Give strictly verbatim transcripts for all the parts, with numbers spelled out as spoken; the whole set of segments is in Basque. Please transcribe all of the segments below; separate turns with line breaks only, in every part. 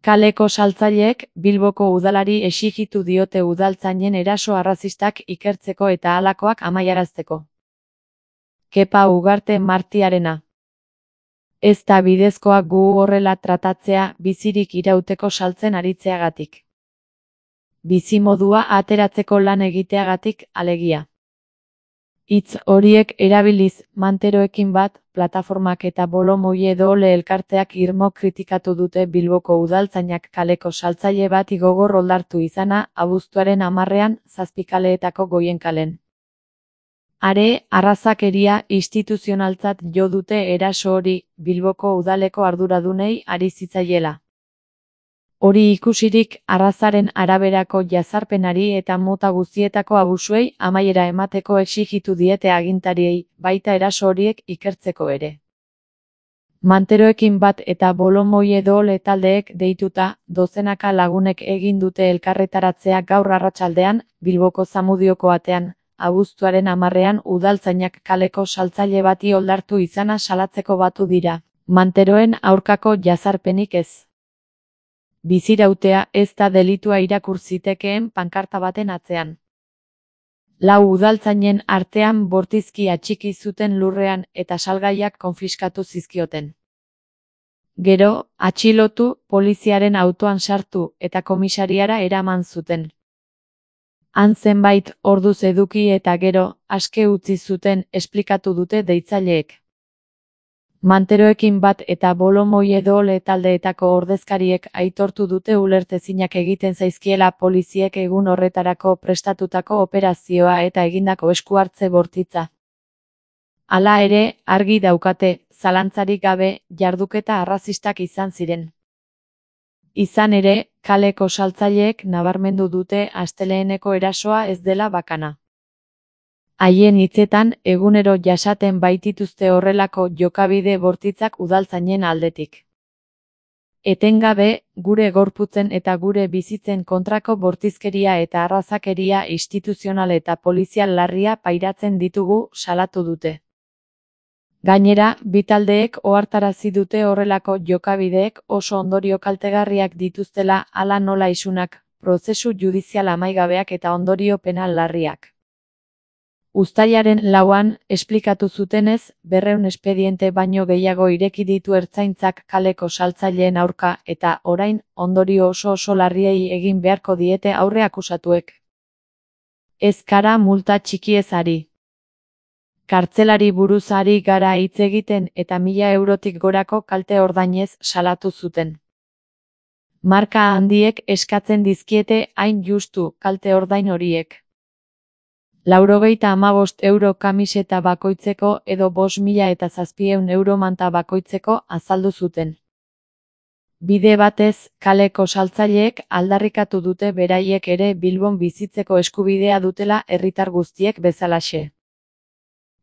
Kaleko saltzaileek Bilboko udalari exijitu diote udaltzainen eraso arrazistak ikertzeko eta halakoak amaiarazteko. Kepa Ugarte Martiarena. Ez da bidezkoa gu horrela tratatzea bizirik irauteko saltzen aritzeagatik. Bizimodua ateratzeko lan egiteagatik, alegia. Hitz horiek erabiliz, Manteroekin bat, plataformak eta Bolomoie Dole elkarteak irmo kritikatu dute Bilboko udaltzainak kaleko saltzaile bati gogor oldartu izana abuztuaren hamarrean Zazpikaleetako Goienkalen. Are, arrazakeria instituzionaltzat jo dute eraso hori Bilboko udaleko arduradunei ari zitzaiela. Hori ikusirik arrazaren araberako jazarpenari eta mota guztietako abusuei amaiera emateko exijitu diete agintariei, baita eraso horiek ikertzeko ere. Manteroekin bat eta Bolomoie Dole taldeek deituta, dozenaka lagunek egin dute elkarretaratzea gaur arratsaldean, Bilboko Zamudioko atean, abuztuaren hamarrean udaltzainak kaleko saltzaile bati oldartu izana salatzeko batu dira, Manteroen aurkako jazarpenik ez. Bizirautea ez da delitua irakur zitekeen pankarta baten atzean. Lau udaltzainen artean bortizki atxiki zuten lurrean eta salgaiak konfiskatu zizkioten. Gero, atxilotu, poliziaren autoan sartu eta komisariara eraman zuten. Han zenbait orduz eduki eta gero, aske utzi zuten esplikatu dute deitzaileek. Manteroekin bat eta Bolomoie Dole taldeetako ordezkariek aitortu dute ulertezinak egiten zaizkiela poliziek egun horretarako prestatutako operazioa eta egindako esku hartze bortitza. Hala ere, argi daukate, zalantzarik gabe, jarduketa arrazistak izan ziren. Izan ere, kaleko saltzaileek nabarmendu dute asteleheneko erasoa ez dela bakana. Haien hitzetan, egunero jasaten baitituzte horrelako jokabide bortitzak udaltzainen aldetik. Etengabe, gure gorputzen eta gure bizitzen kontrako bortizkeria eta arrazakeria instituzional eta polizial larria pairatzen ditugu, salatu dute. Gainera, bi taldeek ohartarazi dute horrelako jokabideek oso ondorio kaltegarriak dituztela hala nola isunak, prozesu judizial amaigabeak eta ondorio penal larriak. Uztailaren lauan, esplikatu zutenez, berrehun espediente baino gehiago ireki ditu ertzaintzak kaleko saltzaileen aurka eta, orain, ondorio oso oso larriei egin beharko diete aurre akusatuek. Ez gara multa txikiez ari. Kartzelari buruz ari gara hitz egiten eta mila eurotik gorako kalte ordainez salatu zuten. Marka handiek eskatzen dizkiete hain justu kalte ordain horiek. Laurogeita hamabost euro kamiseta bakoitzeko edo bost mila eta zazpieun euro manta bakoitzeko azaldu zuten. Bide batez, kaleko saltzaileek aldarrikatu dute beraiek ere Bilbon bizitzeko eskubidea dutela herritar guztiek bezalaxe.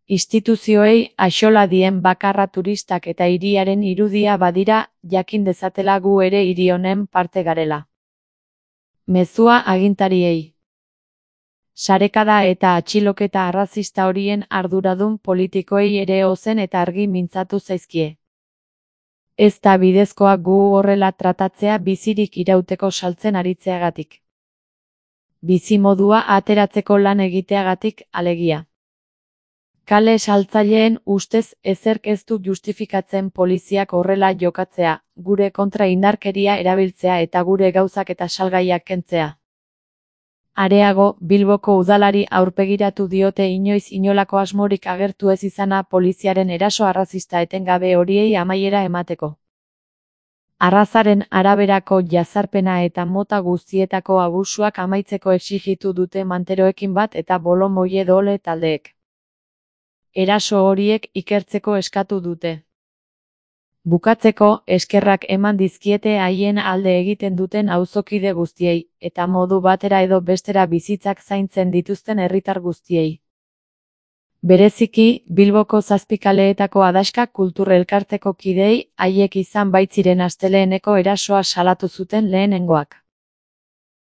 Instituzioei axola dien bakarra turistak eta hiriaren irudia badira, jakin dezatela gu ere hiri honen parte garela. Mezua agintariei. Sarekada eta atxiloketa arrazista horien arduradun politikoei ere ozen eta argi mintzatu zaizkie. Ez da bidezkoa gu horrela tratatzea bizirik irauteko saltzen aritzeagatik. Bizimodua ateratzeko lan egiteagatik, alegia. Kale saltzaileen ustez ezerk ez du justifikatzen poliziak horrela jokatzea, gure kontra indarkeria erabiltzea eta gure gauzak eta salgaiak kentzea. Areago, Bilboko udalari aurpegiratu diote inoiz inolako asmorik agertu ez izana poliziaren eraso arrazista etengabe horiei amaiera emateko. Arrazaren araberako jazarpena eta mota guztietako abusuak amaitzeko exijitu dute Manteroekin bat eta Bolomoie Dole taldeek. Eraso horiek ikertzeko eskatu dute. Bukatzeko, eskerrak eman dizkiete haien alde egiten duten auzokide guztiei, eta modu batera edo bestera bizitzak zaintzen dituzten herritar guztiei. Bereziki, Bilboko Zazpikaleetako Adaxka Kultur Elkarteko kideei, haiek izan baitziren asteleheneko erasoa salatu zuten lehenengoak.